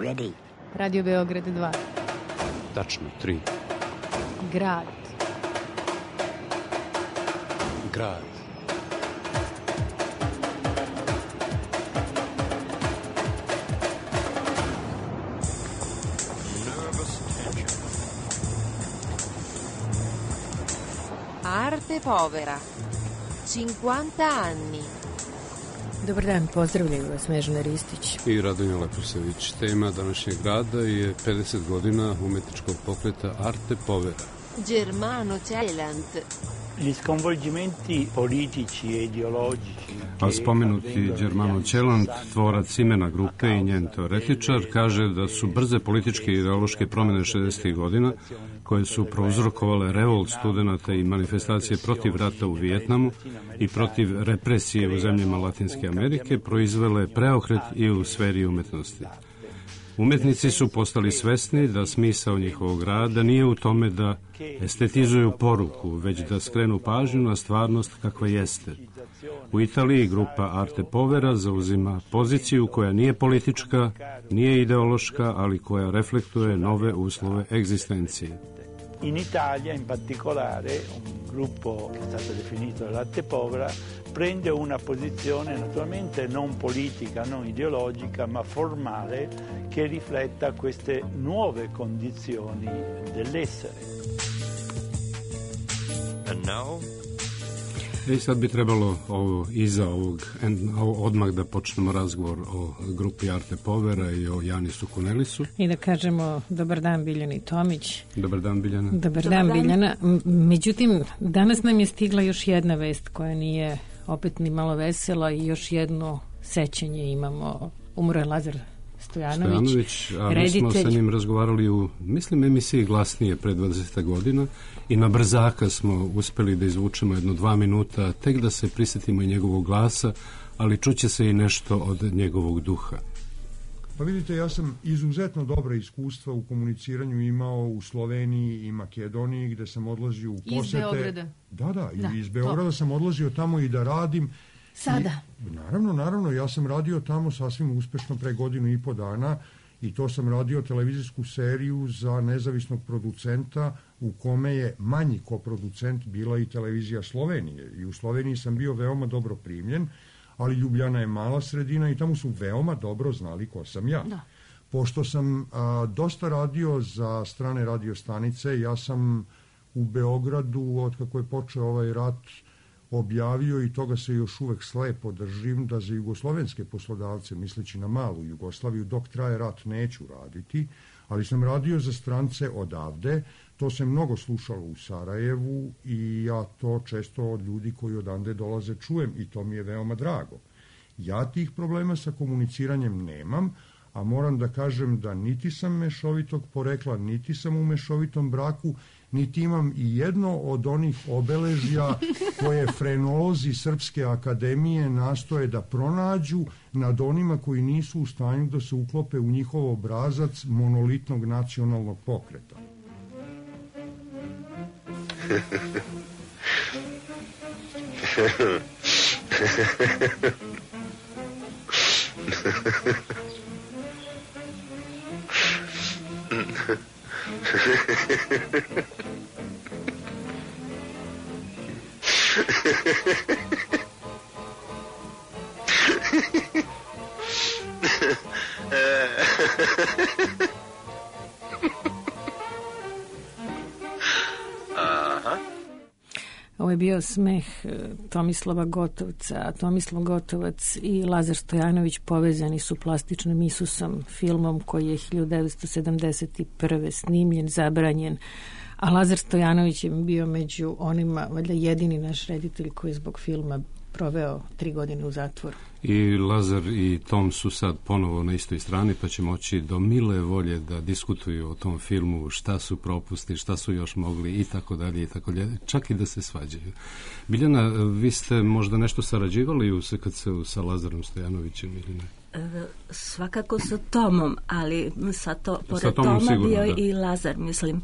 ready. Radio Beograd 2. Tačno 3. Grad. Grad. Arte povera. 50 anni. Dobar dan, pozdravljaju vas Snežana Ristić I Radonja Leprosević. Tema današnjeg rada je 50 godina umetničkog pokreta Arte povera. Germano Celant. Gli sconvolgimenti politici e ideologici. A spomenuti Germano Celant, tvorac imena grupe i njen teoretičar, kaže da su brze političke i ideološke promjene 60. godina, koje su prouzrokovale revolt studenata i manifestacije protiv rata u Vijetnamu i protiv represije u zemljama Latinske Amerike, proizvele preokret i u sferi umetnosti. Umetnici su postali svesni da smisao njihovog rada nije u tome da estetizuju poruku, već da skrenu pažnju na stvarnost kakva jeste. U Italiji grupa Arte povera zauzima poziciju koja nije politička, nije ideološka, ali koja reflektuje nove uslove egzistencije. In Italia, in particolare, un gruppo che è stato definito l'Arte povera prende una posizione naturalmente non politica, non ideologica, ma formale che rifletta queste nuove condizioni dell'essere. And now? I sad bi trebalo iza ovog odmah da počnemo razgovor o grupi Arte povera i o Janisu Kunelisu. i da kažemo dobar dan Biljani Tomić. Dobar dan, Biljana. Dobar dan, Biljana. Međutim, danas nam je stigla još jedna vest koja nije opet ni malo vesela i još jedno sećanje imamo. Umro je Lazar Stojanović, a mi reditelj. smo sa njim razgovarali u, mislim, emisiji Glasnije pre 20 godina i na brzaka smo uspeli da izvučemo 2 minuta, tek da se prisjetimo i njegovog glasa, ali čuće se i nešto od njegovog duha. Pa vidite, ja sam izuzetno dobra iskustva u komuniciranju imao u Sloveniji i Makedoniji, gde sam odlazio u posete. Iz Beograda. Da, iz Beograda sam odlazio tamo i da radim. Sada? Naravno, ja sam radio tamo sasvim uspešno pre 1.5 godina i to sam radio televizijsku seriju za nezavisnog producenta u kome je manji koproducent bila i televizija Slovenije. I u Sloveniji sam bio veoma dobro primljen, ali Ljubljana je mala sredina i tamo su veoma dobro znali ko sam ja. Da. Pošto sam dosta radio za strane radiostanice, ja sam u Beogradu, od kako je počeo ovaj rat, objavio, i toga se još uvek slepo držim, da za jugoslovenske poslodavce, misleći na malu Jugoslaviju, dok traje rat neću raditi, ali sam radio za strance odavde. To se mnogo slušalo u Sarajevu i ja to često od ljudi koji odande dolaze čujem i to mi je veoma drago. Ja tih problema sa komuniciranjem nemam, a moram da kažem da niti sam mešovitog porekla, niti sam u mešovitom braku, niti imam i jedno od onih obeležja koje frenolozi Srpske akademije nastoje da pronađu nad onima koji nisu u stanju da se uklope u njihov obrazac monolitnog nacionalnog pokreta. Ovo je bio smeh Tomislava Gotovca, a Tomislav Gotovac i Lazar Stojanović povezani su plastičnim Isusom, filmom koji je 1971. snimljen, zabranjen, a Lazar Stojanović je bio među onima, valjda jedini naš reditelj koji je zbog filma proveo 3 godine u zatvoru. I Lazar i Tom su sad ponovo na istoj strani, pa će moći do mile volje da diskutuju o tom filmu, šta su propusti, šta su još mogli i tako dalje, čak i da se svađaju. Biljana, vi ste možda nešto sarađivali sa Lazarom Stojanovićem ili ne? Svakako sa Tomom, ali pored Toma sigurno, bio da. I Lazar, mislim.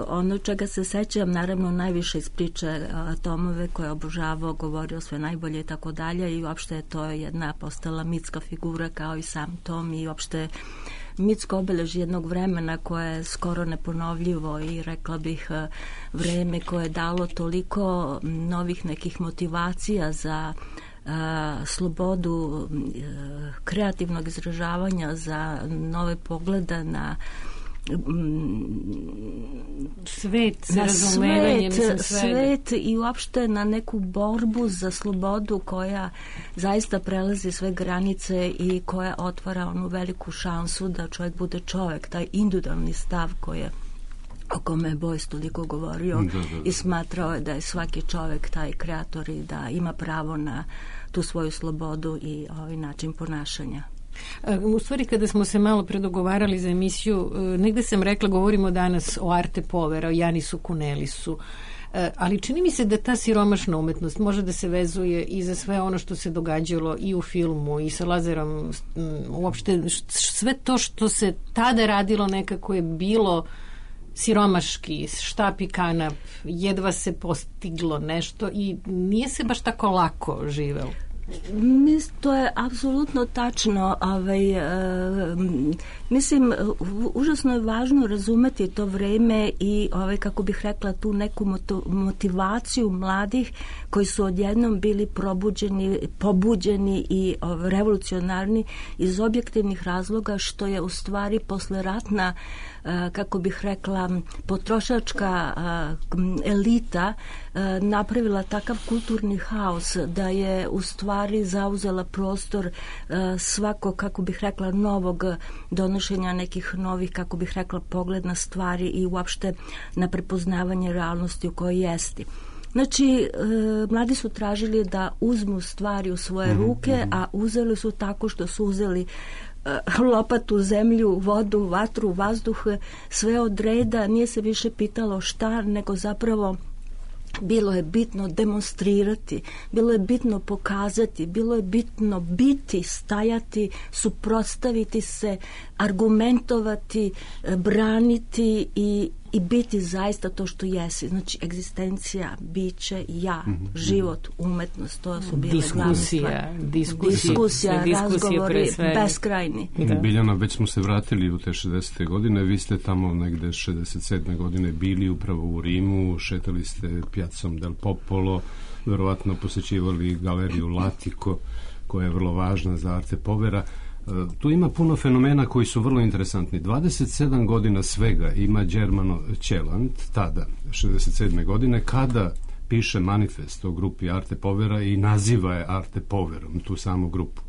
Ono čega se sećam, naravno najviše iz priče Tomove koje je obožavao, govorio sve najbolje i tako dalje, i uopšte je to jedna postala mitska figura kao i sam Tom, i uopšte mitsko obeležje jednog vremena koje je skoro neponovljivo i rekla bih vreme koje je dalo toliko novih nekih motivacija za slobodu kreativnog izražavanja, za nove poglede na svet, na svet i uopšte na neku borbu za slobodu koja zaista prelazi sve granice i koja otvara onu veliku šansu da čovjek bude čovjek, taj individualni stav o kome je Beuys toliko govorio i smatrao je da je svaki čovjek taj kreator i da ima pravo na tu svoju slobodu i ovaj način ponašanja. U stvari, kada smo se malo predogovarali za emisiju, negde sam rekla, govorimo danas o Arte Povera, o Janisu Kunelisu, ali čini mi se da ta siromašna umetnost može da se vezuje i za sve ono što se događalo i u filmu i sa Lazarom, uopšte sve to što se tada radilo nekako je bilo siromaški, štap i kanap, jedva se postiglo nešto i nije se baš tako lako živelo. To je apsolutno tačno. Mislim, užasno je važno razumeti to vreme i kako bih rekla, tu neku motivaciju mladih koji su odjednom bili pobuđeni i revolucionarni iz objektivnih razloga, što je u stvari posleratna, kako bih rekla, potrošačka elita napravila takav kulturni haos da je u stvari zauzela prostor svako, kako bih rekla, novog donošenja nekih novih, kako bih rekla, pogled na stvari i uopšte na prepoznavanje realnosti u kojoj jesti. Znači, mladi su tražili da uzmu stvari u svoje ruke, a uzeli su tako što su uzeli lopatu, zemlju, vodu, vatru, vazduh, sve od reda, nije se više pitalo šta, nego zapravo bilo je bitno demonstrirati, bilo je bitno pokazati, bilo je bitno biti, stajati, suprotstaviti se, argumentovati, braniti i biti zaista to što jesi. Znači, egzistencija, biće, ja, život, umetnost, to su bile glavne stvari. Diskusija, razgovori, beskrajni. Biljana, već smo se vratili u te 60. godine, vi ste tamo negde 67. godine bili upravo u Rimu, šetali ste Piazzom del Popolo, verovatno posećivali galeriju Latiko, koja je vrlo važna za Arte Povera. Tu ima puno fenomena koji su vrlo interesantni. 27 godina svega ima Germano Celant, tada, 67. godine, kada piše manifest o grupi Arte Povera i naziva je Arte Poverom, tu samu grupu.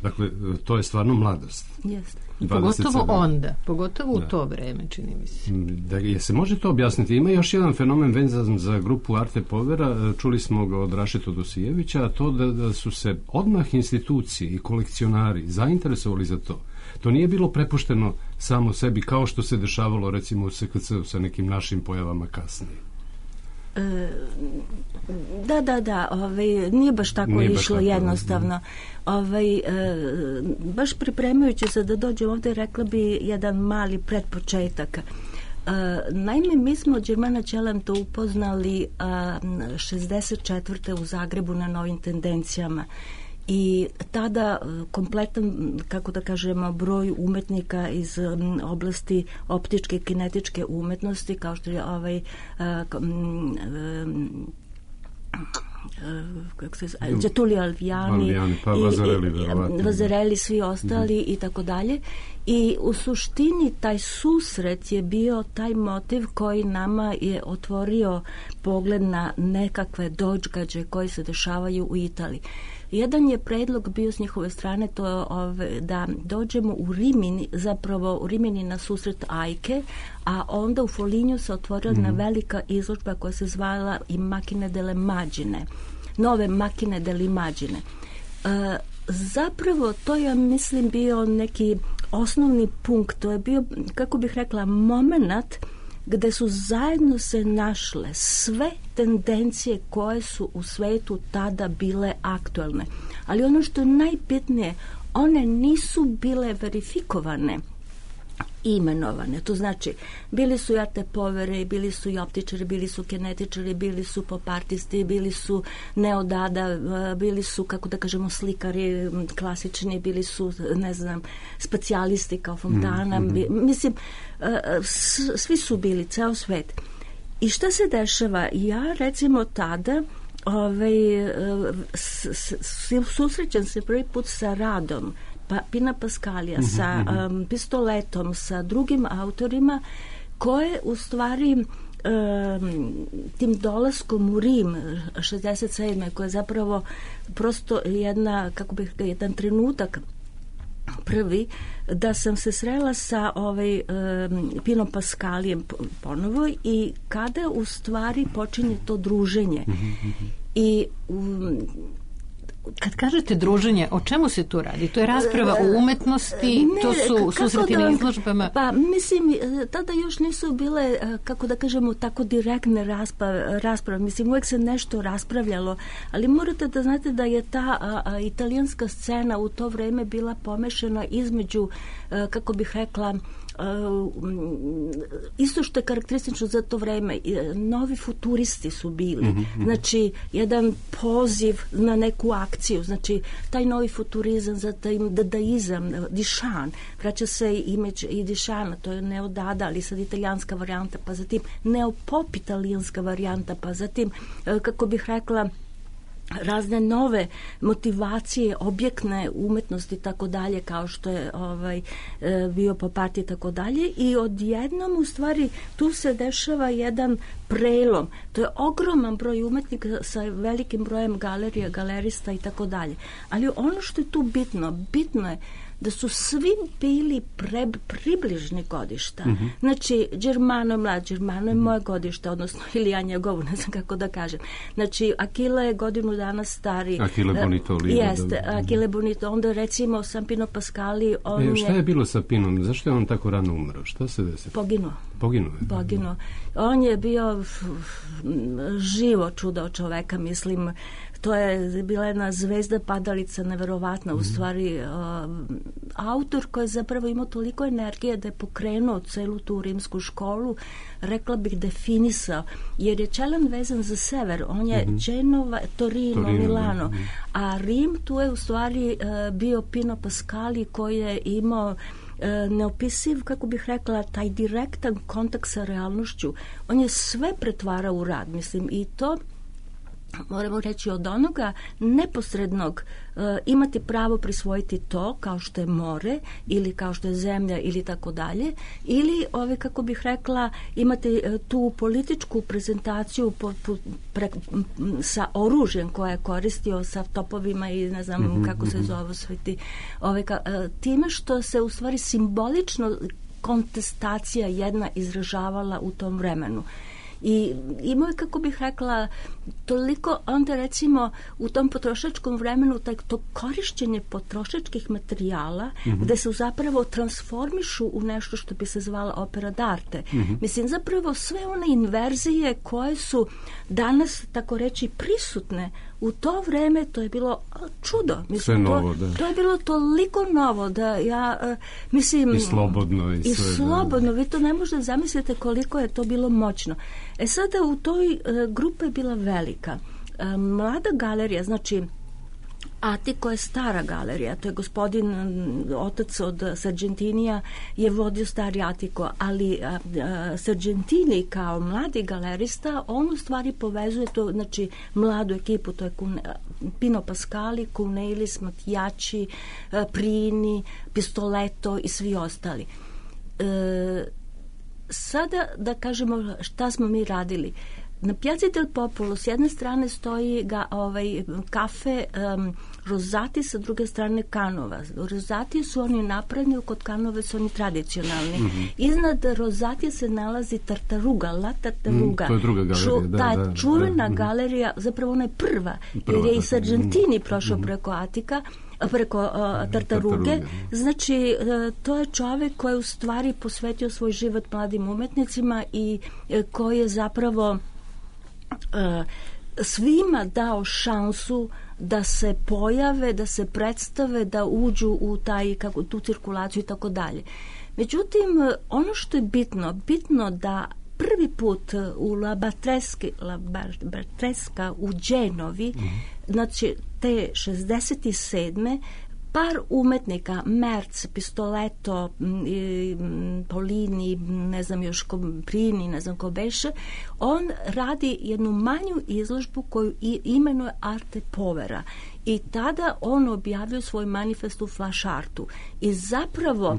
Dakle, to je stvarno mladost. Jeste. Pogotovo onda, pogotovo u to vreme, čini mi se. Je se može to objasniti? Ima još jedan fenomen vezan za grupu Arte Povera, čuli smo ga od Rašeta Dosijevića, a to da su se odmah institucije i kolekcionari zainteresovali za to. To nije bilo prepušteno samo sebi, kao što se dešavalo recimo u SKC-u sa nekim našim pojavama kasnije. Da, nije baš tako išlo jednostavno. Baš pripremajući se da dođem ovdje, rekla bi jedan mali pretpočetak. Naime, mi smo Germana Celanta upoznali 64. u Zagrebu na Novim tendencijama. I tada kompletan, kako da kažemo, broj umetnika iz oblasti optičke i kinetičke umetnosti, kao što je Getulio Alviani, Vazareli, svi ostali i tako dalje. I u suštini taj susret je bio taj motiv koji nama je otvorio pogled na nekakve događaje koji se dešavaju u Italiji. Jedan je predlog bio s njihove strane, to da dođemo u Rimini, zapravo u Rimini na susret Ajke, a onda u Folignu se otvorila jedna velika izložba koja se zvala i Macchine delle Immagine, nove Macchine delle Immagine. Zapravo to je, mislim, bio neki osnovni punkt, to je bio, kako bih rekla, moment gde su zajedno se našle sve tendencije koje su u svetu tada bile aktualne. Ali ono što je najbitnije, one nisu bile verifikovane. imenovane. To znači, bili su i Arte Povere, bili su i optičari, bili su kinetičari, bili su popartisti, bili su neodada, bili su, kako da kažemo, slikari klasični, bili su, ne znam, specijalisti kao Fontana. Mislim, svi su bili, ceo svet. I šta se dešava? Ja, recimo, tada susrećem se prvi put sa radom Pina Pascalija, sa Pistoletom, sa drugim autorima koje u stvari tim dolaskom u Rim 67. koja je zapravo prosto jedan trenutak prvi, da sam se srela sa Pinom Pascalijem ponovo i kada u stvari počinje to druženje. I kad kažete druženje, o čemu se tu radi? To je rasprava o umetnosti, to su susreti na izložbama? Pa mislim, tada još nisu bile, kako da kažemo, tako direktne rasprave. Mislim, uvijek se nešto raspravljalo, ali morate da znate da je ta italijanska scena u to vreme bila pomešana između, kako bih rekla, isto što je karakteristično za to vreme, novi futuristi su bili, znači jedan poziv na neku akciju, znači taj novi futurizam, za taj dadaizam, Dišan, vraća se imidž i Dišana, to je neodada, ali sad italijanska varijanta, pa zatim neopop italijanska varijanta, pa zatim, kako bih rekla, razne nove motivacije, objektne umetnosti tako dalje, kao što je bio Popati i tako dalje, i odjednom u stvari tu se dešava jedan prelom. To je ogroman broj umetnika sa velikim brojem galerija, galerista i tako dalje. Ali ono što je tu bitno je da su svi bili približni godišta. Znači, Germano mlad, Germano je moje godište, odnosno ili ja njegovu, ne znam kako da kažem. Znači, Achille je godinu dana stari. Achille Bonito. Jeste, Achille Bonito. Onda recimo sam Pino Pascali, šta je bilo sa Pinom? Zašto je on tako rano umro? Šta se desilo? Poginuo. On je bio živo čudo čoveka, mislim. To je bila jedna zvezda padalica neverovatna, u stvari autor koji je zapravo imao toliko energije da je pokrenuo celu tu rimsku školu, rekla bih definisao, jer je Čelan vezan za sever, on je Genova, Torino, Milano, a Rim tu je u stvari bio Pino Pascali koji je imao neopisiv, kako bih rekla, taj direktan kontakt sa realnošću. On je sve pretvarao u rad, mislim, i to moramo reći od onoga neposrednog imati pravo prisvojiti to kao što je more ili kao što je zemlja ili tako dalje, ili kako bih rekla, imati tu političku prezentaciju sa oružjem koje je koristio, sa topovima i ne znam kako se zove sve ti, time što se u stvari simbolično kontestacija jedna izražavala u tom vremenu. I imao je, kako bih rekla, toliko, onda recimo u tom potrošačkom vremenu to korišćenje potrošačkih materijala gde se zapravo transformišu u nešto što bi se zvala opera d'arte. Mislim, zapravo sve one inverzije koje su danas, tako reći, prisutne u to vreme, to je bilo čudo. Mislim, sve novo, da. To je bilo toliko novo da ja, mislim... I slobodno. I slobodno. Vi to ne možete zamisliti koliko je to bilo moćno. Sada u toj grupa je bila velika. Mlada galerija, znači Atiko je stara galerija, to je gospodin, otac od Sargentinija je vodio stari Atiko, ali Sargentini kao mladi galerista, on u stvari povezuje to, znači mladu ekipu, to je Pino Pascali, Cunelis, Mattiacci, Prini, Pistoleto i svi ostali. Sada da kažemo šta smo mi radili. Na Piazzi del Popolo s jedne strane stoji kafe Rosati, sa druge strane Canova. Rosati su oni napredni, kod Canove su oni tradicionalni. Iznad Rosati se nalazi Tartaruga, La Tartaruga. To je druga galerija. Čuvena galerija, zapravo ona je prva, jer je i Sargentini prošao preko Atika, preko Tartaruge. Znači, to je čovjek koji je u stvari posvetio svoj život mladim umetnicima i koji je zapravo svima dao šansu da se pojave, da se predstave, da uđu u tu cirkulaciju i tako dalje. Međutim, ono što je bitno da prvi put u La Bartresca u Genovi, znači te 67. par umetnika, Merz, Pistoletto, Polini, ne znam još Prini, ne znam ko beše, on radi jednu manju izložbu koju imenuje Arte Povera. I tada on objavio svoj manifest u Flash Artu. I zapravo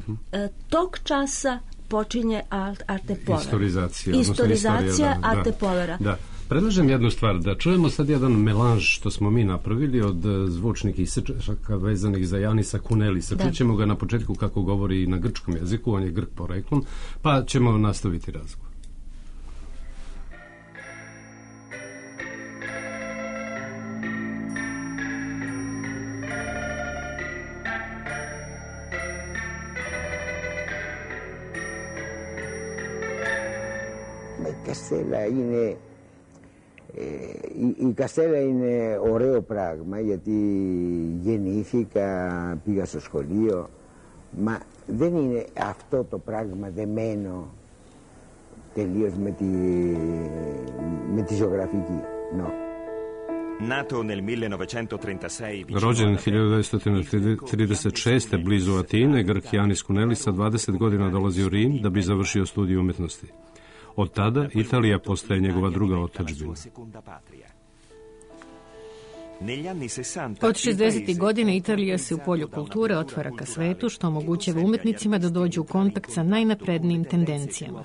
tog časa počinje Arte Povera. Istorizacija Arte Povera. Da. Predlažem jednu stvar, da čujemo sad jedan melanž što smo mi napravili od zvučnih isečaka vezanih za Janisa Kunelisa. Čućemo ga na početku kako govori na grčkom jeziku, on je Grk poreklom, pa ćemo nastaviti razgovor. Η Καστέλα είναι ωραίο πράγμα γιατί γεννήθηκα, πήγα στο σχολείο, μα δεν είναι αυτό το πράγμα δεμένο τελείως με τη ζωγραφική. No. Nato nel 1936... Rođen 1936. blizu Atine, Grk Janis Kunelis sa 20 godina dolazi u Rim da bi završio studij umetnosti. Od tada Italija postaje njegova druga otadžbina. Od 60. godine Italija se u polju kulture otvara ka svetu, što omogućava umetnicima da dođu u kontakt sa najnaprednijim tendencijama.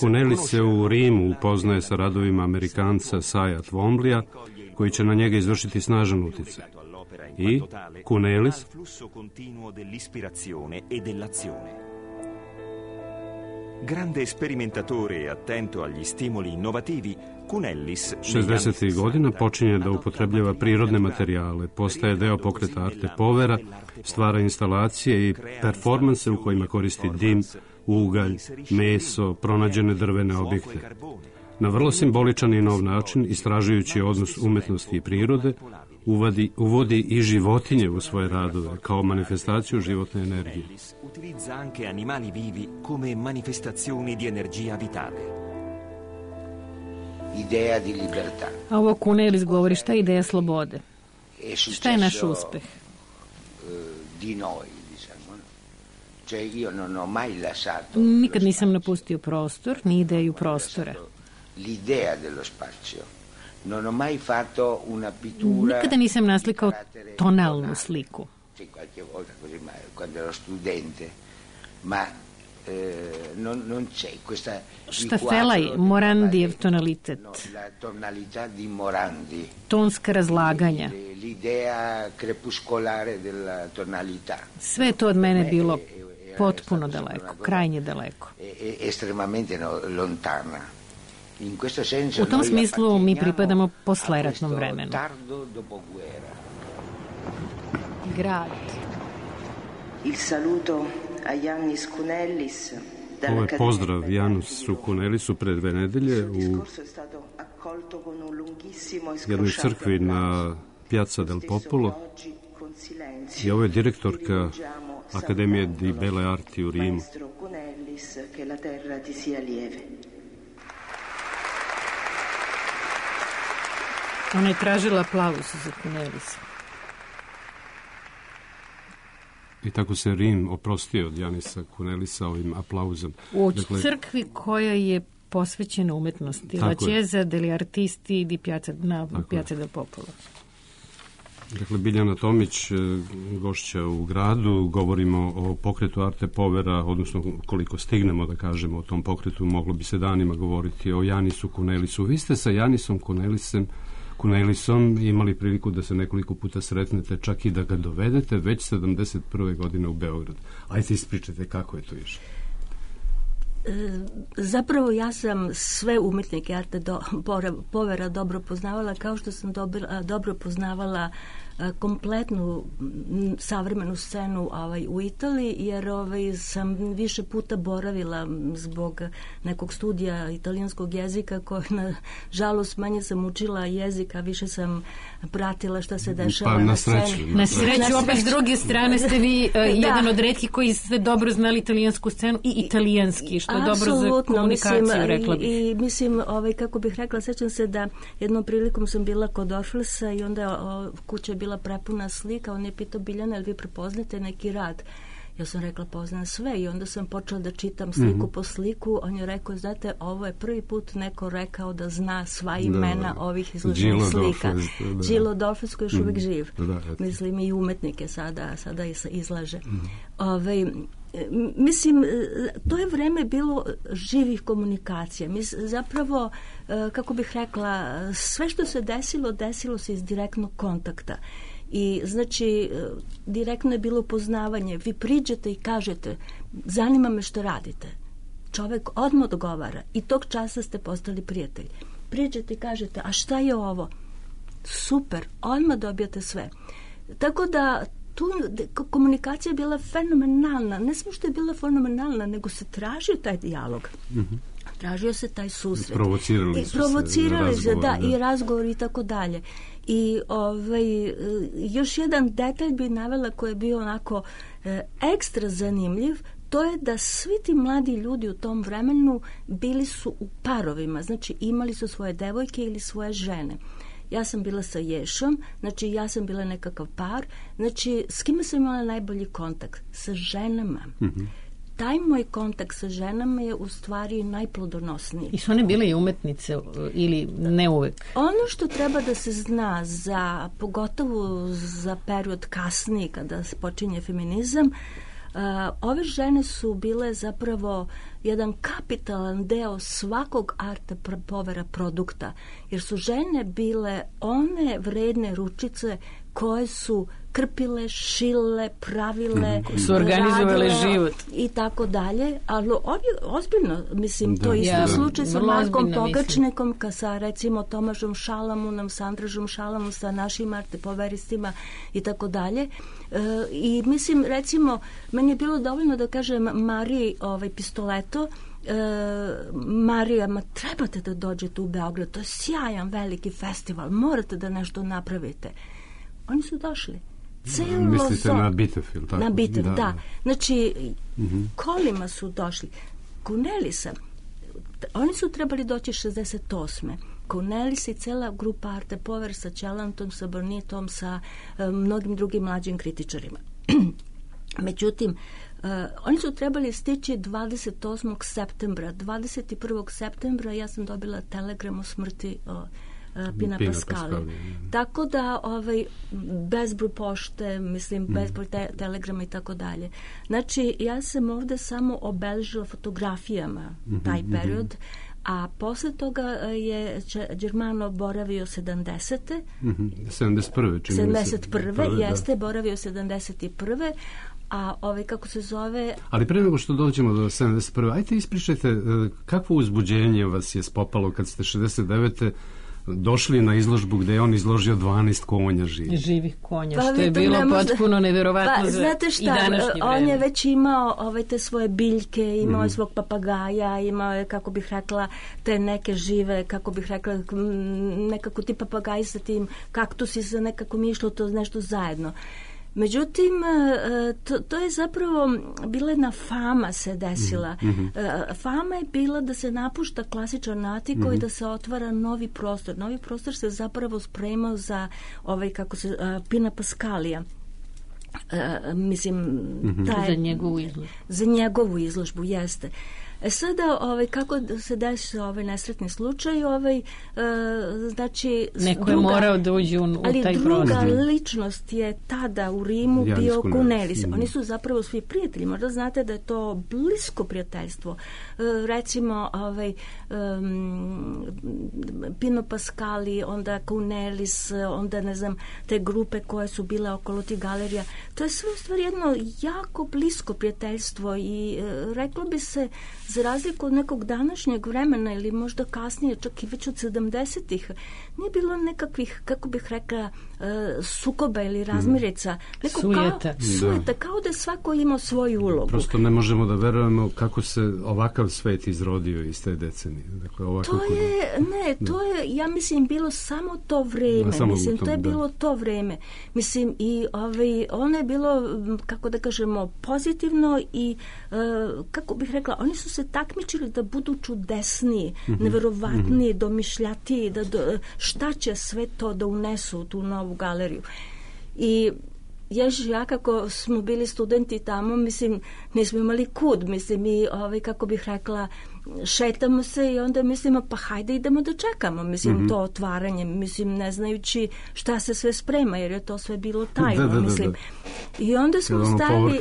Kunelis se u Rimu upoznaje sa radovima Amerikanca Saja Twomleya, koji će na njega izvršiti snažan uticaj. I Kunelis grande sperimentatore e attento agli stimoli innovativi, Kunelis 60. godina počinje da upotrebljava prirodne materijale, postaje deo pokreta Arte Povera, stvara instalacije i performanse u kojima koristi dim, ugalj, meso, pronađene drvene objekte. Na vrlo simboličan i nov način, istražujući odnos umetnosti i prirode, uvodi i životinje u svoje radove kao manifestaciju životne energije. Utilizza anche animali vivi come manifestazioni di energia vitale. Ideja di libertà. A ovo Kunelis govori šta je ideja slobode. Šta je naš uspeh? Di noi, diciamo. Cioè io non ho mai lasciato. Nikad nisam napustio prostor, ni ideju prostora. L'idea dello spazio. Non ho mai fatto una pittura. Nikada nisam naslikao tonalnu sliku. Sì, qualche volta così, ma quando ero studente, ma non c'è questa Štafelaj, Morandijev tonalitet. La tonalità di Morandi. Tonska razlaganja. L'idea crepuscolare della tonalità. Sve to od mene bilo potpuno daleko, krajnje daleko. Estremamente lontana. U tom smislu mi pripadamo posleratnom vremenu. Grad. Il saluto a Jannis Kunelis. Ovo je pozdrav Janisu Kunelisu pred 2 nedelje u jednoj crkvi na Piazza del Popolo. I ovo je direktorka Akademije di Belle Arti u Rimu. Ona je tražila aplauz za Kunelisa. I tako se Rim oprostio od Janisa Kunelisa ovim aplauzom. U crkvi koja je posvećena umetnosti. La Chiesa degli Artisti di Piazza del Popolo. Dakle, Biljana Tomić, gošća u gradu, govorimo o pokretu Arte Povera, odnosno koliko stignemo da kažemo o tom pokretu, moglo bi se danima govoriti o Janisu Kunelisu. Vi ste sa Janisom Kunelisom imali priliku da se nekoliko puta sretnete, čak i da ga dovedete već 71. godine u Beograd. Ajde ispričajte kako je to išlo. Zapravo ja sam sve umetnike Arte Povera dobro poznavala, kao što sam dobro poznavala kompletnu savremenu scenu u Italiji, jer sam više puta boravila zbog nekog studija italijanskog jezika, koji na žalost manje sam učila jezik, a više sam pratila šta se dešava na sceni. Na sreću, opet s druge strane ste vi jedan od retkih koji ste dobro znali italijansku scenu i italijanski, što je dobro za komunikaciju, rekla bih. I mislim, kako bih rekla, sećam se da jednom prilikom sam bila kod Orflesa i onda kuća je bila prepuna slika, on je pitao Biljana, jel vi prepoznate neki rad? Ja sam rekla, poznam sve, i onda sam počela da čitam sliku po sliku. On je rekao, znate, ovo je prvi put neko rekao da zna sva imena ovih izloženih slika. Gillo Dolfes, koji je još uvijek živ. Mislim, i umetnike sada izlaže. Mislim, to je vreme bilo živih komunikacija. Zapravo, kako bih rekla, sve što se desilo se iz direktnog kontakta. I znači, direktno je bilo poznavanje. Vi priđete i kažete, zanima me što radite. Čovek odmah odgovara i tog časa ste postali prijatelji. Priđete i kažete, a šta je ovo? Super, odmah dobijate sve. Tako da tu komunikacija je bila fenomenalna. Ne samo što je bila fenomenalna, nego se tražio taj dijalog. Tražio se taj susret. Provocirali se, da, i razgovor i tako dalje. I još jedan detalj bi navela koji je bio onako ekstra zanimljiv, to je da svi ti mladi ljudi u tom vremenu bili su u parovima, znači imali su svoje devojke ili svoje žene. Ja sam bila sa Ješom, znači ja sam bila nekakav par, znači s kime sam imala najbolji kontakt? Sa ženama. Taj moj kontakt sa ženama je u stvari najplodonosniji. I su one bile i umetnice ili ne uvek? Ono što treba da se zna pogotovo za period kasniji kada se počinje feminizam, ove žene su bile zapravo jedan kapitalan deo svakog Arte Povera produkta, jer su žene bile one vredne ručice koje su krpile, šile, pravile, su organizovale život i tako dalje, ali ozbiljno, mislim, to je isto slučaj sa Markom Pogačnikom, sa recimo Tomažom Šalamunom, Sandražom Šalamun, sa našim Arte Poveristima i tako dalje. I mislim, recimo, meni je bilo dovoljno da kažem Mariji Pistoleto, Marija, trebate da dođete u Beograd, to je sjajan veliki festival, morate da nešto napravite. Oni su došli. Mislite na Bitev, tako? Na Bitev, da. Znači, kolima su došli. Cornelisa, oni su trebali doći 68. Cornelis i cela grupa Arte Pover sa Ćelantom, sa Bornitom, sa mnogim drugim mlađim kritičarima. Međutim, oni su trebali stići 28. septembra. 21. septembra ja sam dobila telegram o smrti Pina Pascali. Tako da bezbroj pošte, mislim, bezbroj telegrama i tako dalje. Znači, ja sam ovde samo obeležila fotografijama taj period, a posle toga je Germano boravio 70. 71. 71. Jeste, boravio 71. A kako se zove... Ali pre nego što dođemo do 71. Ajte ispričajte kakvo uzbuđenje vas je spopalo kad ste 69. došli na izložbu gde je on izložio 12 konja živih konja, što je bilo potpuno neverovatno za znate šta, i današnje vreme. On je već imao te svoje biljke, imao je svog papagaja, imao je, kako bih rekla, te neke žive, kako bih rekla, nekako ti papagaji sa tim kaktusi, sa nekako mi išlo to nešto zajedno. Međutim, to je zapravo bila jedna fama se desila. Fama je bila da se napušta klasičan Atiko i da se otvara novi prostor. Novi prostor se zapravo spremao za Pina Pascalija. Mislim, za njegovu izložbu, jeste. Sada, kako se desio nesretni slučaj, znači... Neko je morao da uđe u taj prostor. Ali druga ličnost je tada u Rimu bio Cornelis. Oni su zapravo svi prijatelji. Možda znate da je to blisko prijateljstvo. Recimo, Pino Pascali, onda Cornelis, onda, ne znam, te grupe koje su bile okolo tih galerija. To je sve u stvari jedno jako blisko prijateljstvo i reklo bi se za razliku od nekog današnjeg vremena ili možda kasnije, čak i već od 70-ih, nije bilo nekakvih, kako bih rekla, sukoba ili razmirica. Sujeta, kao da svako ima svoju ulogu. Prosto ne možemo da verujemo kako se ovakav svet izrodio iz te decenije. Dakle, to je, ja mislim, bilo samo to vreme. To je bilo to vreme. Mislim, i ono je bilo, kako da kažemo, pozitivno i, kako bih rekla, oni su se takmičili da budu čudesniji, neverovatniji, domišljatiji, šta će sve to da unesu u tu novu galeriju. I ja kako smo bili studenti tamo, mislim, nismo imali kud, mislim, i kako bih rekla, šetamo se i onda mislimo, pa hajde idemo da čekamo, mislim, to otvaranje, mislim, ne znajući šta se sve sprema, jer je to sve bilo tajno, mislim. I onda smo stali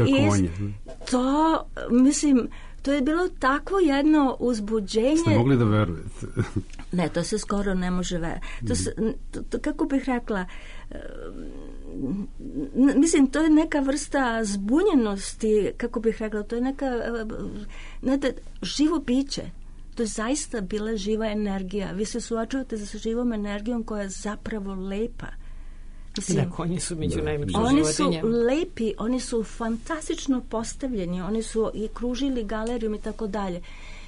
to, mislim, to je bilo takvo jedno uzbuđenje. Ste mogli da verujete? Ne, to se skoro ne može verujeti. Kako bih rekla, mislim, to je neka vrsta zbunjenosti, kako bih rekla, to je neka živo biće. To je zaista bila živa energija. Vi se suočavate sa živom energijom koja je zapravo lepa. Mislim, konji su među najljepšim životinjama. Oni su lepi, oni su fantastično postavljeni, oni su i kružili galerijom i tako dalje.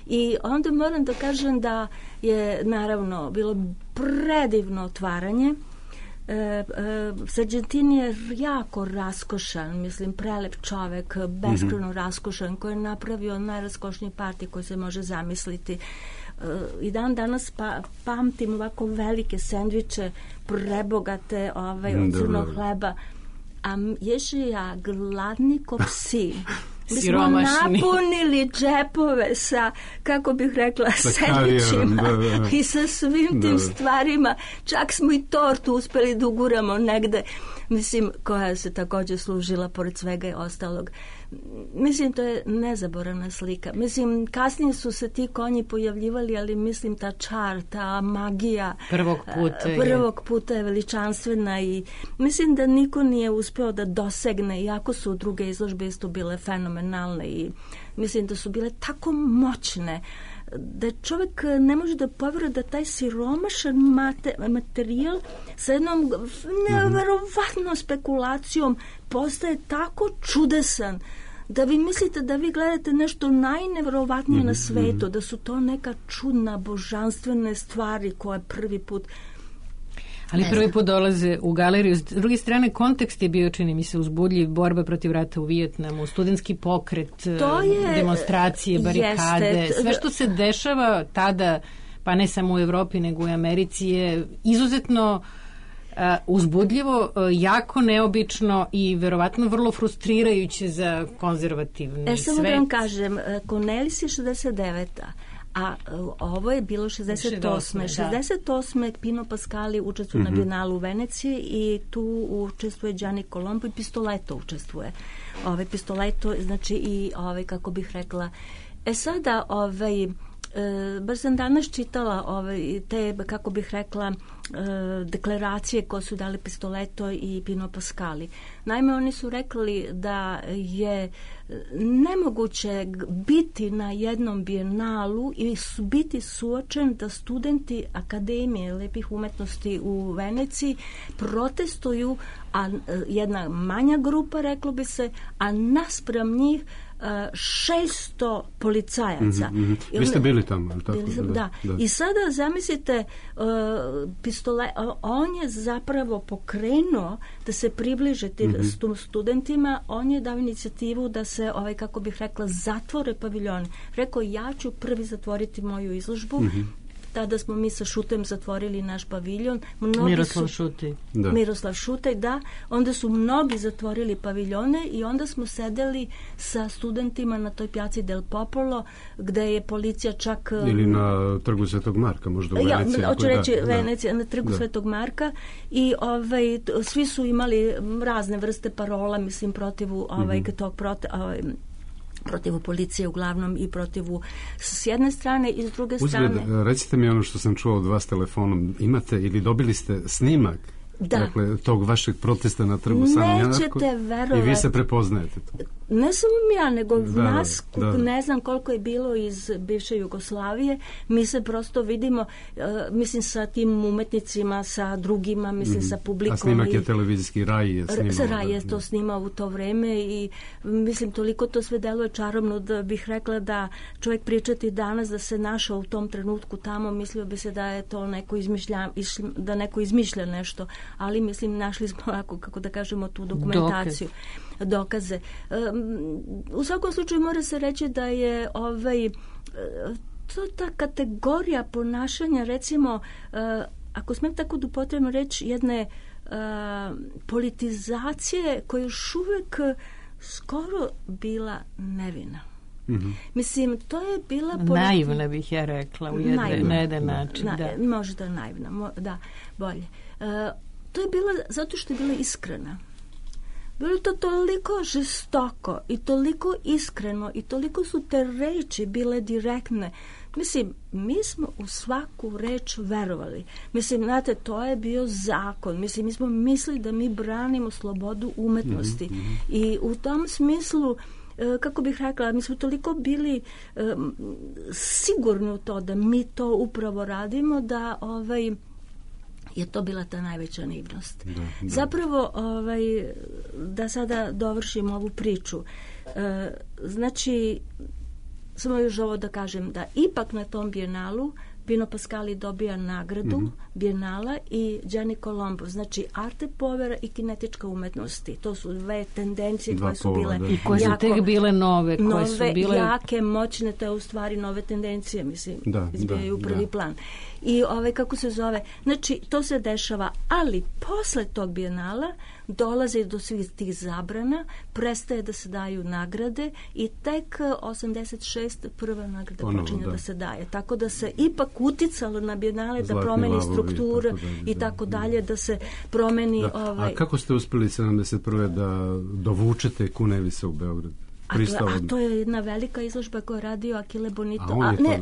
I onda moram da kažem da je naravno bilo predivno otvaranje. Sargentini je jako raskošan, mislim, prelep čovek, beskrajno raskošan, koji je napravio najraskošniji parti koji se može zamisliti. I dan danas pamtim ovako velike sendviče, prebogate od crnog hleba, a Ježija gladni ko psi. Mi smo napunili džepove sa, kako bih rekla, sendvičima i sa svim tim stvarima. Čak smo i tortu uspeli da uguramo negde, mislim, koja se također služila pored svega i ostalog. Mislim, to je nezaboravna slika. Mislim, kasnije su se ti konji pojavljivali, ali mislim, ta čar, ta magija prvog puta je veličanstvena i mislim da niko nije uspeo da dosegne, iako su druge izložbe isto bile fenomenalne i mislim da su bile tako moćne da čovjek ne može da poveruje da taj siromašan materijal sa jednom neverovatnom spekulacijom postaje tako čudesan da vi mislite da vi gledate nešto najneverovatnije na svetu, da su to neka čudna, božanstvene stvari koje prvi put... Ali prvi put dolaze u galeriju. S druge strane, kontekst je bio, čini mi se, uzbudljiv, borba protiv rata u Vijetnamu, studentski pokret, demonstracije, barikade, sve što se dešava tada, pa ne samo u Evropi, nego u Americi, je izuzetno uzbudljivo, jako neobično i verovatno vrlo frustrirajuće za konzervativni svet. Samo da vam kažem, Cornelis je 69. a ovo je bilo 68. 68. Pino Pascali učestvuje na Bienalu u Veneciji i tu učestvuje Gianni Colombo i Pistoletto učestvuje. Pistoletto, znači i kako bih rekla, sada baš sam danas čitala te, kako bih rekla, deklaracije koje su dali Pistoletto i Pino Pascali. Naime, oni su rekli da je nemoguće biti na jednom bijenalu i biti suočen da studenti Akademije lepih umetnosti u Veneciji protestuju, a jedna manja grupa, reklo bi se, a naspram njih 600 policajaca. Vi ste bili tamo, tako? Da. I sada zamislite, on je zapravo pokrenuo da se približe tim studentima, on je dao inicijativu da se, kako bih rekla, zatvore paviljoni. Rekao, ja ću prvi zatvoriti moju izložbu. Tada smo mi sa Šutem zatvorili naš paviljon. Miroslav Šutej, da. Onda su mnogi zatvorili paviljone i onda smo sedeli sa studentima na toj pjaci Del Popolo, gde je policija čak... Ili na trgu Svetog Marka, možda u Veneciji. Hoću reći Venecija, na trgu Svetog Marka. I svi su imali razne vrste parola, mislim, protivu protivu policije uglavnom i protivu s jedne strane i s druge strane. Recite mi ono što sam čuo od vas telefonom. Imate ili dobili ste snimak Dakle, tog vašeg protesta na trgu Sanja Janarko. Nećete verovati. I vi se prepoznajete to. Ne samo ja, nego nas, ne znam koliko je bilo iz bivše Jugoslavije, mi se prosto vidimo, mislim, sa tim umetnicima, sa drugima, mislim, sa publikom. A snimak je televizijski, Raj je snimao. Raj je to snimao u to vreme i mislim, toliko to sve deluje čarobno da bih rekla da čovjek pričati danas da se našao u tom trenutku tamo, mislio bi se da je to neko da neko izmišlja nešto, ali mislim, našli smo, kako da kažemo, tu dokumentaciju. Dokaze. U svakom slučaju mora se reći da je to ta kategorija ponašanja, recimo, ako smijem tako da upotrebim reč, jedne politizacije koja još uvijek skoro bila nevina. Mislim, to je bila naivna, bih ja rekla, na jedan način. Možda naivna, da, bolje. To je bila, zato što je bila iskrena. Bilo to toliko žestoko i toliko iskreno i toliko su te reči bile direktne. Mislim, mi smo u svaku reč verovali. Mislim, znate, to je bio zakon. Mislim, mi smo mislili da mi branimo slobodu umetnosti. I u tom smislu, kako bih rekla, mi smo toliko bili sigurni u to da mi to upravo radimo, da je to bila ta najveća naivnost. Zapravo, da sada dovršim ovu priču, znači, samo još ovo da kažem, da ipak na tom bijenalu Pino Pascali dobija nagradu bijenala i Gianni Colombo, znači Arte Povera i kinetička umetnosti. To su dve tendencije koje su bile i koje su tek bile nove, koje su bile jake, moćne, to je u stvari nove tendencije, mislim, izbijaju u prvi plan. I kako se zove, znači to se dešava, ali posle tog bijenala dolazi do svih tih zabrana, prestaje da se daju nagrade i tek 86. prva nagrada počinje da se daje. Tako da se ipak uticalo na bijenale da promeni strukturu i tako dalje, da se promeni... A kako ste uspjeli 71. da dovučete Cunellisa u Beograd? A to je jedna velika izložba koju je radio Achille Bonito.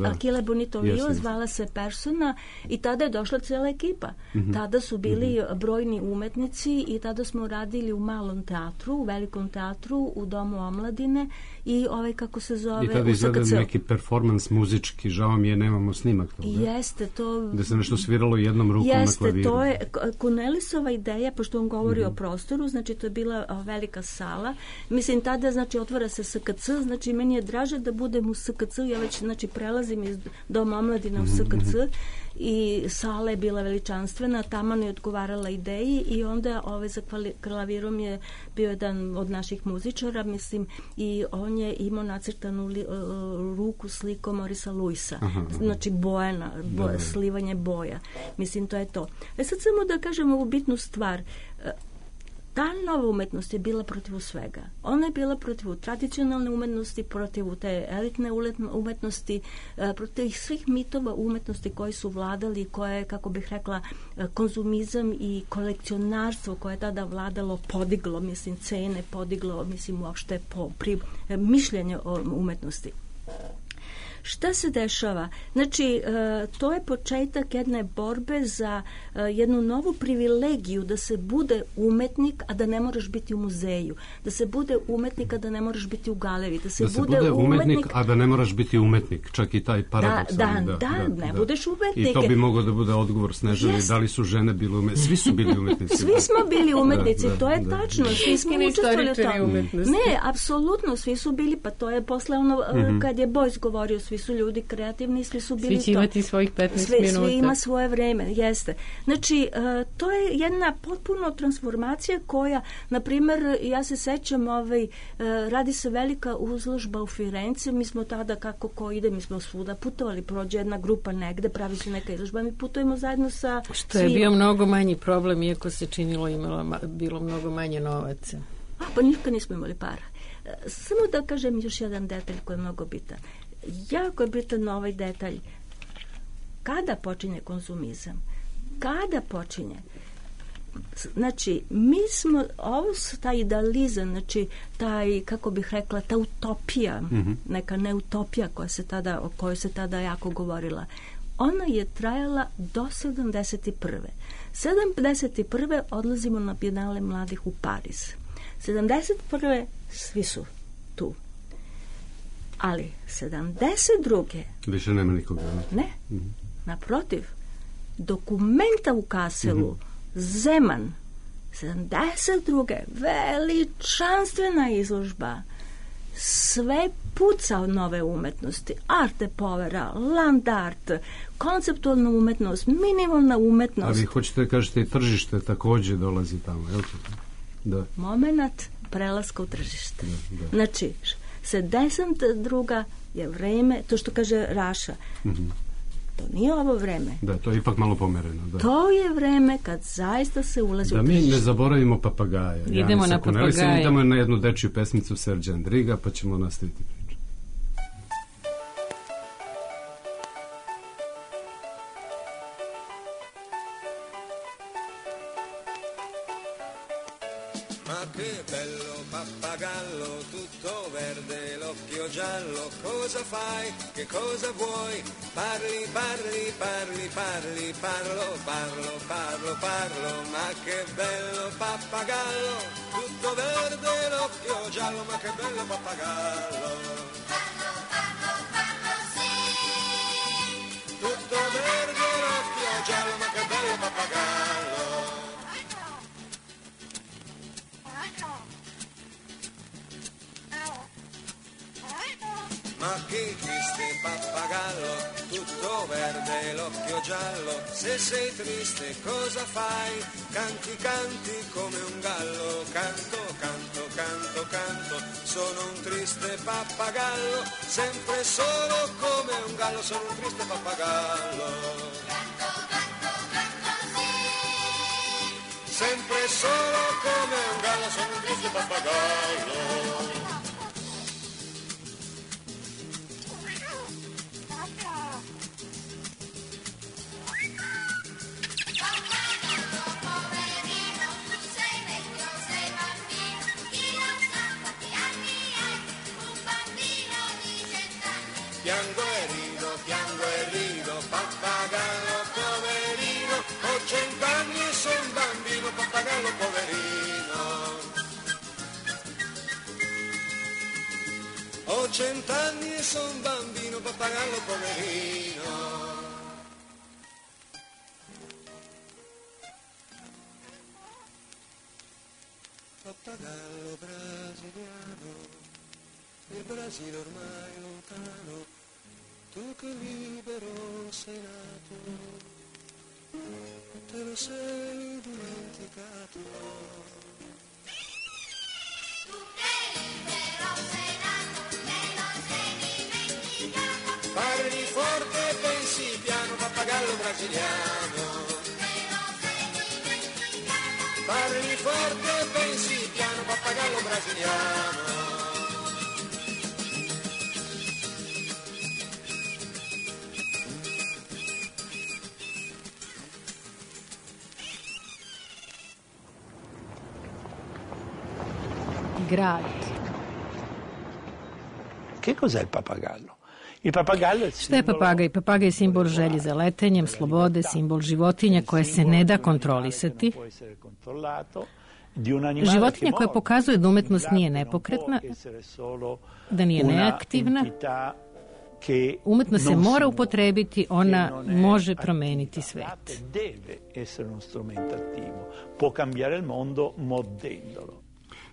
Achille Bonito Lio, zvala se Persona i tada je došla cijela ekipa. Tada su bili brojni umetnici i tada smo radili u malom teatru, u velikom teatru, u Domu omladine i kako se zove... I tada izveden neki performans muzički, žao mi je, nemamo snimak toga. Jeste, to... Da se nešto sviralo jednom rukom na klaviru. Jeste, to je Cunellisova ideja, pošto on govori o prostoru, znači to je bila velika sala. Mislim, tada, znači, otvara se SKC, znači meni je draže da budem u SKC, ja već znači prelazim iz Doma omladine u SKC i sala je bila veličanstvena, taman je odgovarala ideji i onda za klavirom je bio jedan od naših muzičara, mislim, i on je imao nacrtanu ruku slikom Morisa Luisa, znači bojana, slivanje boja, mislim, to je to. Sad samo da kažem ovu bitnu stvar. Ta nova umetnost je bila protiv svega. Ona je bila protiv tradicionalne umetnosti, protiv te elitne umetnosti, protiv svih mitova umetnosti koji su vladali, koje, kako bih rekla, konzumizam i kolekcionarstvo koje je tada vladalo, podiglo, mislim, cene, podiglo, mislim, uopšte mišljenje o umetnosti. Šta se dešava? Znači, to je početak jedne borbe za jednu novu privilegiju da se bude umetnik, a da ne moraš biti u muzeju. Da se bude umetnik, a da ne moraš biti u galeriji. Da se bude umetnik, a da ne moraš biti umetnik. Čak i taj paradoks. Ne budeš umetnik. I to bi moglo da bude odgovor Snežani. Da li su žene bile umetnici? Svi su bili umetnici. Svi smo bili umetnici, to je tačno. Svi smo učestvovali u tome. Ne, apsolutno, svi su bili, pa to je posle ono, kad je Bojs govorio, svi su ljudi kreativni, svi su bili to. Svi će imati svojih 15 minuta. Svi ima svoje vreme, jeste. Znači, to je jedna potpuno transformacija koja, na primjer, ja se sećam, radi se velika izložba u Firenci, mi smo tada, kako ko ide, mi smo svuda putovali, prođe jedna grupa negde, pravi se neka izložba, mi putujemo zajedno sa svima. Što je bio mnogo manji problem, iako se činilo bilo mnogo manje novaca. Pa nikad nismo imali para. Samo da kažem još jedan detalj koji je mnogo bitan. Jako je bitan ovaj detalj. Kada počinje konzumizam? Kada počinje? Znači, mi smo, taj idealizam, znači, taj, kako bih rekla, ta utopija, neka neutopija o kojoj se tada jako govorila, ona je trajala do 71. 71. odlazimo na Bijenale mladih u Pariz. 71. svi su tu. Ali 72. više nema nikoga. Ne, naprotiv. Dokumenta u Kaselu, Zeman, 72. veličanstvena izložba, sve puca od nove umetnosti, arte povera, land art, konceptualna umetnost, minimalna umetnost. A vi hoćete da kažete i tržište takođe dolazi tamo, je li to? Da. Moment prelaska u tržište. Da. Znači, 72. je vreme, to što kaže Raša, to nije ovo vreme. Da, to je ipak malo pomereno. Da. To je vreme kad zaista se ulazi u tržište. tržište. Da mi ne zaboravimo papagaja. Idemo na papagaja. Idemo na jednu dečiju pesmicu Serđa Andriga, pa ćemo nastaviti priču. Ma che bello pappagallo, tutto verde, l'occhio giallo, cosa fai, che cosa vuoi? Parli, parli, parli, parli, parlo, parlo, parlo, parlo, ma che bello pappagallo, tutto verde, l'occhio giallo, ma che bello pappagallo. Parlo, parlo, parlo, sì. Tutto verde, l'occhio giallo, ma che bello pappagallo. Ma che triste pappagallo, tutto verde, l'occhio giallo, se sei triste cosa fai? Canti, canti come un gallo, canto, canto, canto, canto, sono un triste pappagallo, sempre solo come un gallo, sono un triste pappagallo. Canto, canto, canto, sì. Sempre solo come un gallo, sono un triste pappagallo. Piango e rido, pappagallo poverino, ho 100 anni e sono un bambino, pappagallo poverino. Ho 100 anni e sono un bambino, pappagallo poverino. Pappagallo brasiliano, il Brasile ormai lontano, tu che libero sei nato, te lo sei dimenticato. Tu che libero sei nato, te lo sei dimenticato. Parli forte e pensi piano, pappagallo brasiliano. Te lo sei dimenticato. Parli forte e pensi piano, pappagallo brasiliano. Grad. Che cos'è il pappagallo? Il pappagallo è Šta je papagaj? Papagaj je simbol želje za letenjem, slobode, simbol životinja koje se ne da kontrolisati. Životinja koja pokazuje da umetnost nije nepokretna, da nije neaktivna. Umetnost se mora upotrebiti, ona može promeniti svet.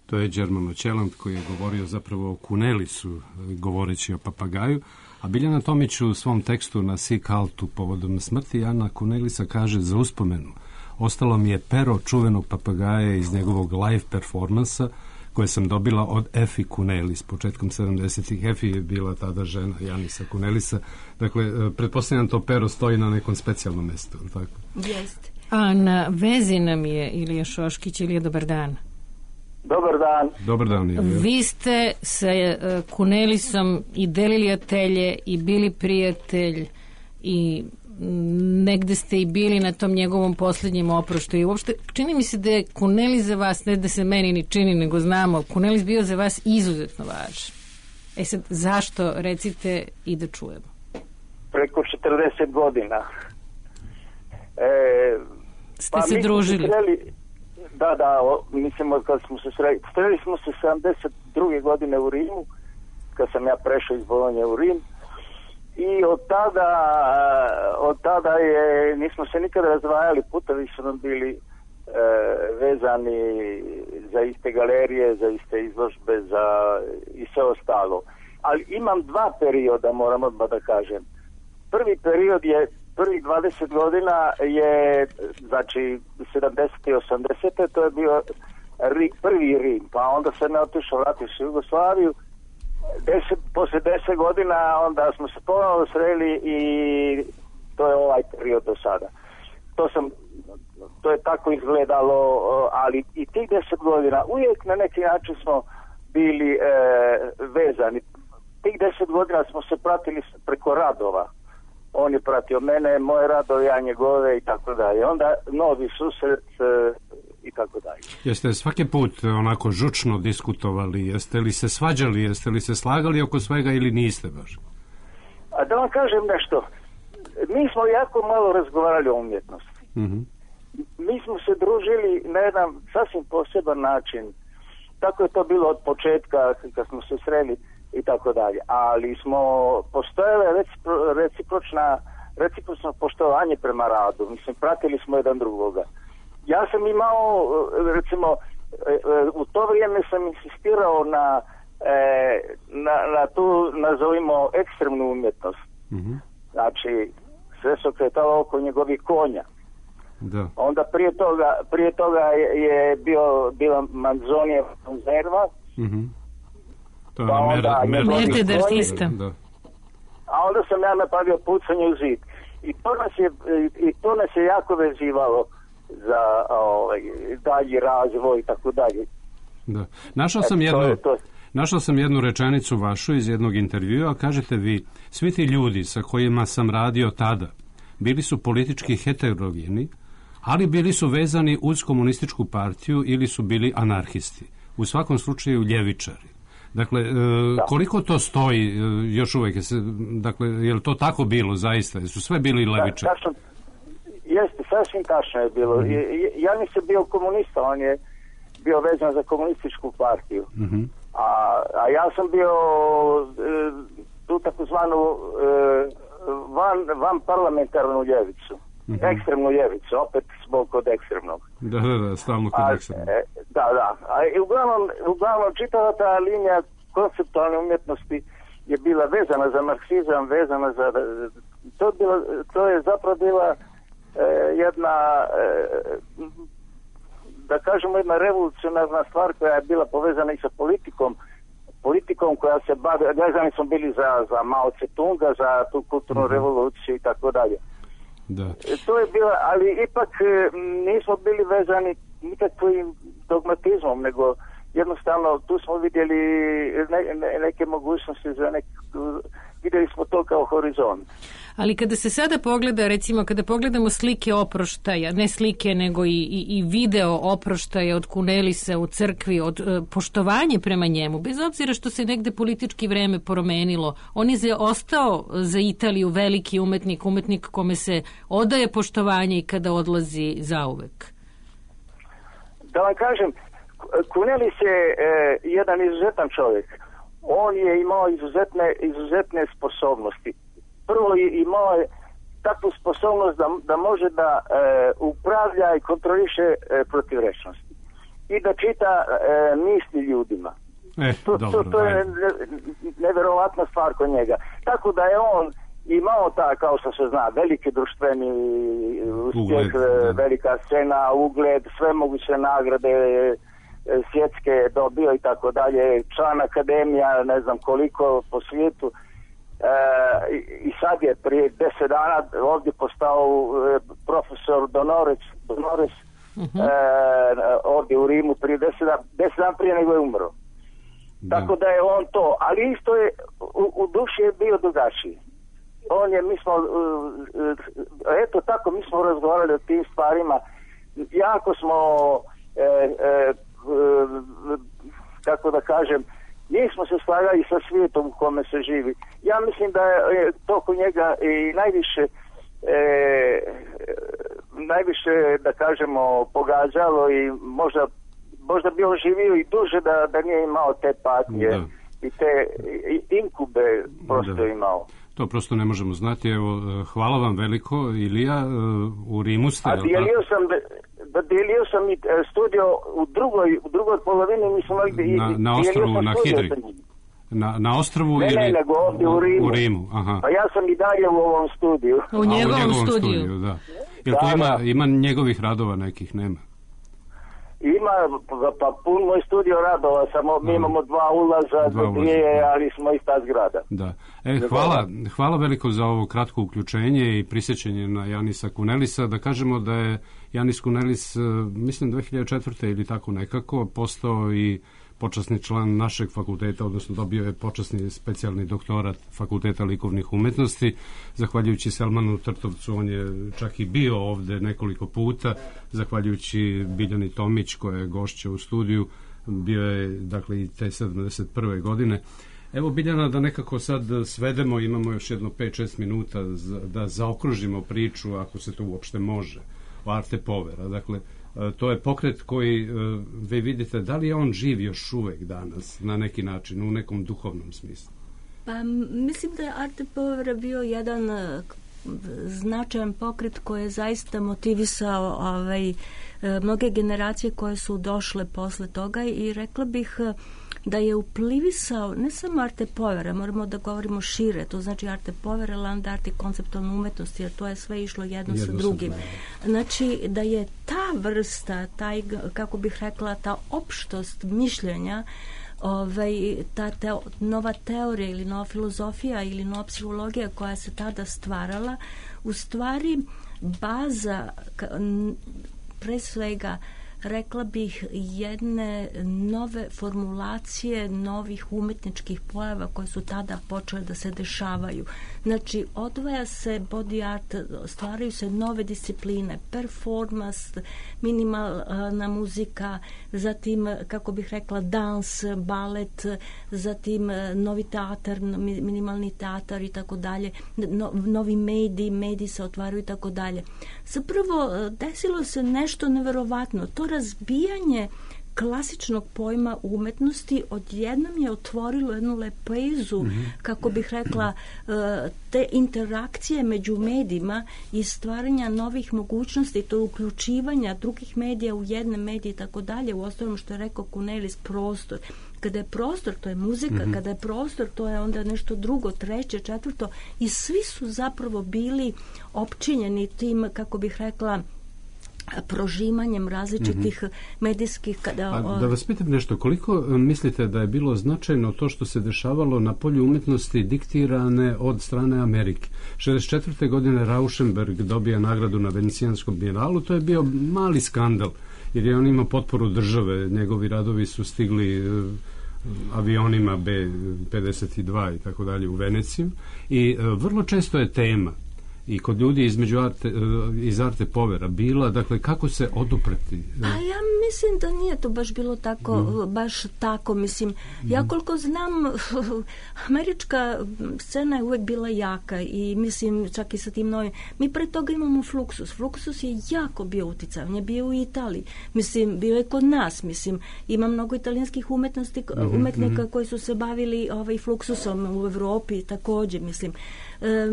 To je Germano Ćeland koji je govorio zapravo o Kunelisu, govoreći o papagaju, a Biljana Tomić u svom tekstu na Sikaltu povodom smrti Jana Kunelisa kaže za uspomenu. Ostalo mi je pero čuvenog papagaja iz njegovog live performansa koje sam dobila od Efi Kunelis početkom 70-ih. Efi je bila tada žena Janisa Kunelisa. Dakle, pretpostavljam to pero stoji na nekom specijalnom mestu. Tako? Jeste. A na vezi nam je Ilija Šoškić. Ilija, dobar dan. Dobar dan. Dobar dan, Ilija. Vi ste sa Kunelisom i delili atelje i bili prijatelj i negde ste i bili na tom njegovom posljednjem oproštu i uopšte čini mi se da je Kunelis za vas, ne da se meni ni čini nego znamo, Kunelis bio za vas izuzetno važan. E sad, zašto, recite i da čujemo? Preko 40 godina. Ste se družili? Da, mislimo kad smo se sreli smo se 72. godine u Rimu, kad sam ja prešao iz Bolonje u Rim, i od tada nismo se nikada razdvajali, putovi su nam bili vezani za iste galerije, za iste izložbe, i sve ostalo. Ali imam dva perioda, moram odmah da kažem. Prvi period je, prvih 20 godina je, znači 70. i 80. to je bio prvi Rim, pa onda sam ja otišao, vratio se u Jugoslaviju. Posle 10 godina onda smo se ponovno sreli i to je ovaj period do sada. To je tako izgledalo, ali i tih 10 godina uvijek na neki način smo bili vezani. Tih 10 godina smo se pratili preko radova. On je pratio mene, moje radove, ja njegove i tako dalje. Onda novi susret i tako dalje. Jeste svaki put onako žučno diskutovali? Jeste li se svađali? Jeste li se slagali oko svega ili niste baš? A da vam kažem nešto. Mi smo jako malo razgovarali o umjetnosti. Mm-hmm. Mi smo se družili na jedan sasvim poseban način. Tako je to bilo od početka kad smo se sreli i tako dalje. Ali smo postojale recipročno poštovanje prema radu. Mislim, pratili smo jedan drugoga. Ja sam imao, recimo, u to vrijeme sam insistirao na tu, nazovimo, ekstremnu umjetnost. Mm-hmm. Znači, sve se okretalo oko njegovih konja. Da. Onda prije toga je bila Manzonijeva konzerva. Mm-hmm. To je Mercader sistem. Da. A onda sam ja napravio pucanje u zid. I to nas je jako vezivalo za dalji razvoj i tako dalje. Da. Našao sam jednu rečenicu vašu iz jednog intervjua, kažete vi: svi ti ljudi sa kojima sam radio tada bili su politički heterogeni, ali bili su vezani uz komunističku partiju ili su bili anarhisti. U svakom slučaju ljevičari. Dakle, koliko to stoji još uvijek? Dakle, je li to tako bilo zaista? Su sve bili levičari? Jeste, sasvim tačno je bilo. Ja nisam bio komunista, on je bio vezan za komunističku partiju. Mm-hmm. A ja sam bio tu takozvanu van parlamentarnu ljevicu. Mm-hmm. Ekstremnu ljevicu, opet smo kod ekstremnog. Da, stalno kod ekstremnog. Da. A uglavnom čitava ta linija konceptualne umjetnosti je bila vezana za marksizam, vezana za... To je zapravo bila jedna, da kažemo, jedna revolucionarna stvar koja je bila povezana i sa politikom koja se bavi, vezani smo bili za Mao Tse-tunga, za tu kulturnu revoluciju i tako dalje. Da. To je bilo, ali ipak nismo bili vezani nikakvim dogmatizmom, nego jednostavno tu smo vidjeli neke mogućnosti vidjeli smo to kao horizont. Ali kada se sada pogleda, recimo kada pogledamo slike oproštaja, ne slike nego i video oproštaja od Kunelisa u crkvi, od poštovanje prema njemu, bez obzira što se negde politički vreme promenilo, on je ostao za Italiju veliki umetnik kome se odaje poštovanje i kada odlazi zauvek. Da vam kažem, Kunelis je jedan izuzetan čovjek. On je imao izuzetne sposobnosti. Prvo imao je takvu sposobnost da može da upravlja i kontroliše protivrečnosti. I da čita misli ljudima. To je nevjerovatna stvar kod njega. Tako da je on imao kao što se zna, veliki društveni uspjeh, velika scena, ugled, sve moguće nagrade svjetske dobio i tako dalje, član akademija, ne znam koliko po svijetu. I sad je prije 10 dana ovdje postao profesor Donores ovdje u Rimu prije 10 dana prije nego je umro. Tako da je on to, ali isto je u duši je bio drugačiji. Mi smo razgovarali o tim stvarima, jako smo kako da kažem, nismo se slagali sa svijetom u kome se živi. Ja mislim da je to kod njega i najviše, da kažemo, pogađalo i možda bi on živio i duže da nije imao te patnje i te inkube prosto imao. To prosto ne možemo znati. Evo, hvala vam veliko, Ilija, u Rimu ste. A dijelio sam i studio u drugoj polovini, mi smo na ostrvu, na Hidri. Na ostrvu ili nego ovdje u Rimu. Aha. Pa ja sam i dalje u ovom studiju. U njegovom studiju. Da. Jel to ima njegovih radova nekih, nema? Ima, pa pun moj studio radova, samo mi imamo 2 ulaza, 2, ali smo ista zgrada. Da. Hvala veliko za ovo kratko uključenje i prisjećanje na Janisa Kunelisa. Da kažemo da je Janis Kunelis, mislim 2004. ili tako nekako, postao i počasni član našeg fakulteta, odnosno dobio je počasni specijalni doktorat Fakulteta likovnih umetnosti. Zahvaljujući Selmanu Trtovcu, on je čak i bio ovde nekoliko puta, zahvaljujući Biljani Tomić, koja je gošća u studiju, bio je, dakle, i te 71. godine. Evo, Biljana, da nekako sad svedemo, imamo još jedno 5-6 minuta da zaokružimo priču, ako se to uopšte može, o Arte Povera. Dakle, to je pokret koji, vi vidite, da li je on živ još uvek danas, na neki način, u nekom duhovnom smislu? Pa mislim da je Arte Povera bio jedan značajan pokret koji je zaista motivisao mnoge generacije koje su došle posle toga i rekla bih da je uplivisao ne samo Arte Povera, moramo da govorimo šire, to znači Arte Povera, land art i konceptualna umetnost, jer to je sve išlo jedno sa drugim. Znači da je ta vrsta, kako bih rekla, ta opštost mišljenja, ta nova teorija ili nova filozofija ili nova psihologija koja se tada stvarala, u stvari baza pre svega, rekla bih, jedne nove formulacije novih umetničkih pojava koje su tada počele da se dešavaju. Znači, odvaja se body art, stvaraju se nove discipline, performance, minimalna muzika, zatim, kako bih rekla, dans, balet, zatim novi teatar, minimalni teatar i tako dalje, novi mediji se otvaraju i tako dalje. Zapravo, desilo se nešto neverovatno. To razbijanje klasičnog pojma umetnosti odjednom je otvorilo jednu lepezu, kako bih rekla, te interakcije među medijima i stvaranja novih mogućnosti, to uključivanja drugih medija u jedne medije i tako dalje. U ostalom, što je rekao Kunelis, prostor. Kada je prostor, to je muzika, kada je prostor, to je onda nešto drugo, treće, četvrto, i svi su zapravo bili opčinjeni tim, kako bih rekla, prožimanjem različitih medijskih... Da vas pitam nešto, koliko mislite da je bilo značajno to što se dešavalo na polju umetnosti diktirane od strane Amerike? 64. godine Rauschenberg dobija nagradu na Venecijanskom bijelalu, to je bio mali skandal, jer je on imao potporu države, njegovi radovi su stigli avionima B-52 i tako dalje u Veneciju i vrlo često je tema i kod ljudi iz Arte Povera bila, dakle, kako se odupreti? A ja mislim da nije to baš bilo tako, baš tako, mislim. Ja koliko znam, američka scena je uvek bila jaka i mislim, čak i sa tim novim. Mi pre toga imamo Fluxus. Fluxus je jako bio uticaj, on je bio u Italiji. Mislim, bio je kod nas, mislim. Ima mnogo italijanskih umetnika koji su se bavili Fluxusom u Evropi takođe, mislim.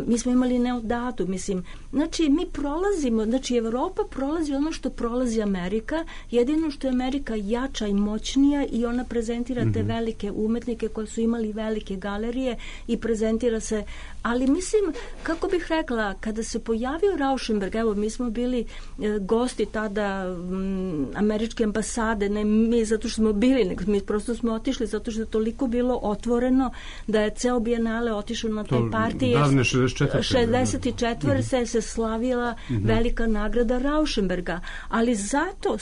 Mi smo imali Neodatu, mislim. Znači, mi prolazimo, znači, Evropa prolazi ono što prolazi Amerika, jedino što je Amerika jača i moćnija i ona prezentira te velike umetnike koji su imali velike galerije i prezentira se, ali mislim, kako bih rekla, kada se pojavio Rauschenberg, evo, mi smo bili gosti tada američke ambasade, ne mi zato što smo bili, nego mi prosto smo otišli zato što je toliko bilo otvoreno da je ceo bijenale otišao na toj partiji. 64. se slavila velika nagrada Rauschenberga, ali zato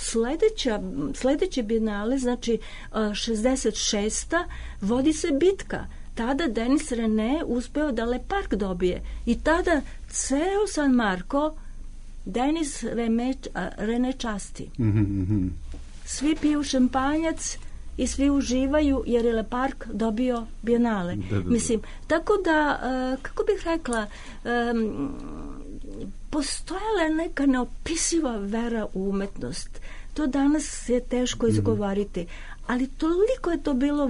sledeće bijenale, znači 66. vodi se bitka. Tada Denis René uspeo da Le Parc dobije i tada ceo San Marko Denis René časti. Svi piju šampanjac i svi uživaju jer je Le Parc dobio Bienale. Mislim, tako da, kako bih rekla, postojala je neka neopisiva vera u umetnost. To danas je teško izgovoriti, ali toliko je to bilo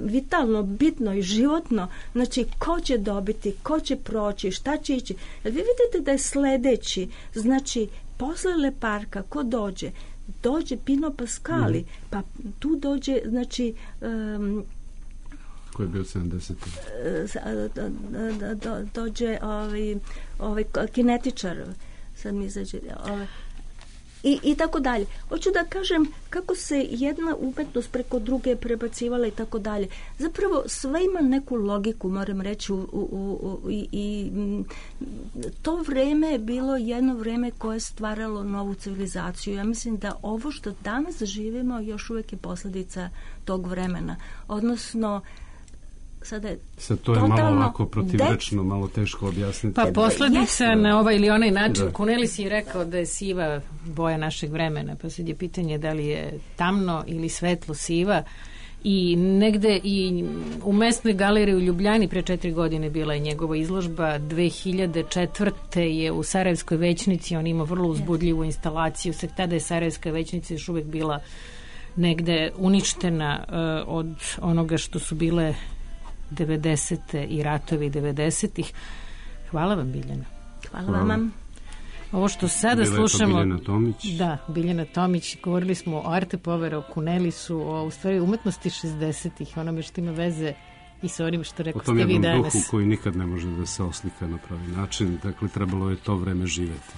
vitalno, bitno i životno. Znači, ko će dobiti, ko će proći, šta će ići. Jer vi vidite da je sledeći, znači, posle Le Parca, ko dođe? Dođe Pino Pascali, pa tu dođe, znači... Ko je bio 70. Dođe ovaj kinetičar, sad mi izađe... I tako dalje. Hoću da kažem kako se jedna umetnost preko druge prebacivala i tako dalje. Zapravo sve ima neku logiku, moram reći, i to vreme je bilo jedno vreme koje je stvaralo novu civilizaciju. Ja mislim da ovo što danas živimo još uvijek je posljedica tog vremena. Odnosno, sad to je malo ovako protivrečno, malo teško objasniti. Pa posljedica na ovaj ili onaj način. Cornelis je rekao da je siva boja našeg vremena, pa sad je pitanje da li je tamno ili svetlo siva. I negde i u mesnoj galeriji u Ljubljani pre 4 godine bila je njegova izložba. 2004. je u Sarajevskoj većnici, on ima vrlo uzbudljivu instalaciju. Sve tada je Sarajevska većnica još uvek bila negde uništena od onoga što su bile 90. i ratovi 90-ih. Hvala vam, Biljana. Hvala vam. Ovo što sada slušamo... Biljana Tomić. Da, Biljana Tomić. Govorili smo o Arte Povera, o Cornelisu, o u stvari umetnosti 60-ih, onome što ima veze i sa onim što rekao ste vi danas. O tom jednom duhu koji nikad ne može da se oslika na pravi način. Dakle, trebalo je to vreme živeti.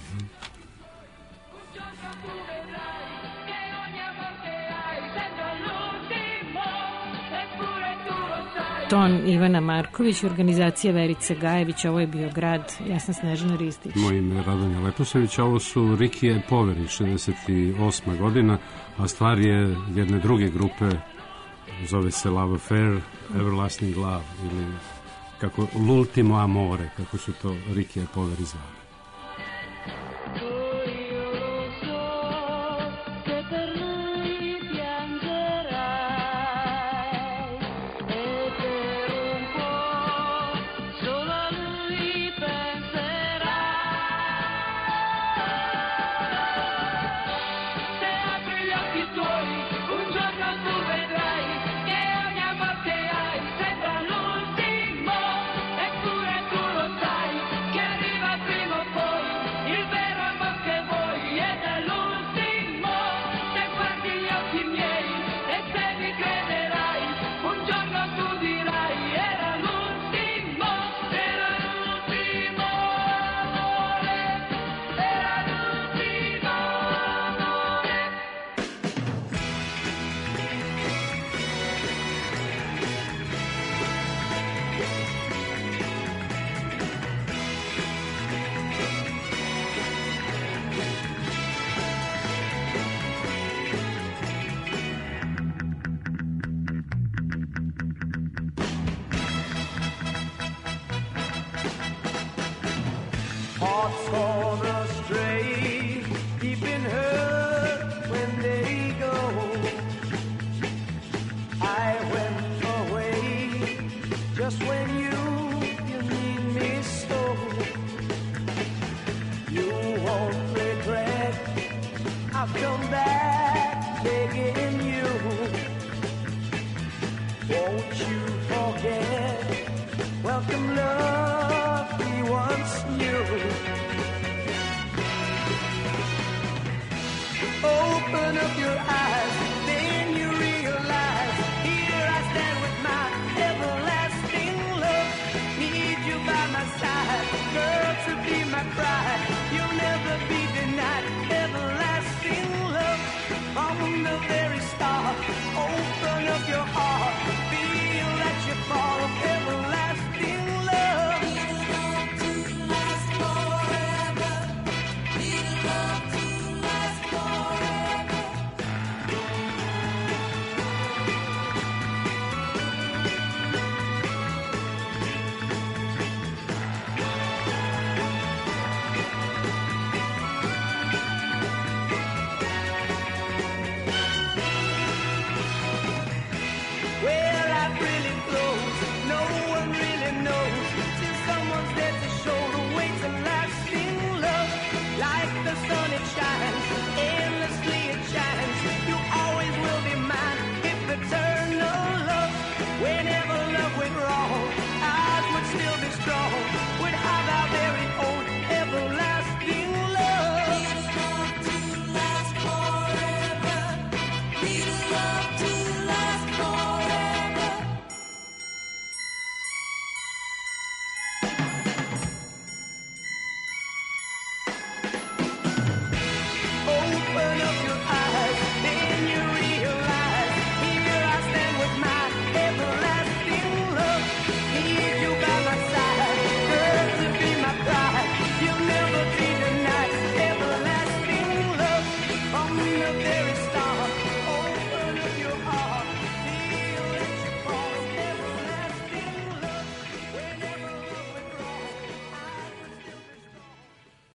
Ton Ivana Marković, organizacija Verice Gajević, ovo je bio Grad, ja sam Snežana Ristić. Moje ime je Radonja Leposević, ovo su Rikije Poveri, 68. godina, a stvar je jedne druge grupe, zove se Love Affair, Everlasting Love, ili kako L'Ultimo Amore, kako su to Rikije Poveri zvali. Hearts gone astray, deep in hurt when they go. I went away just when you need me so. You won't regret, I've come back begging you. Won't you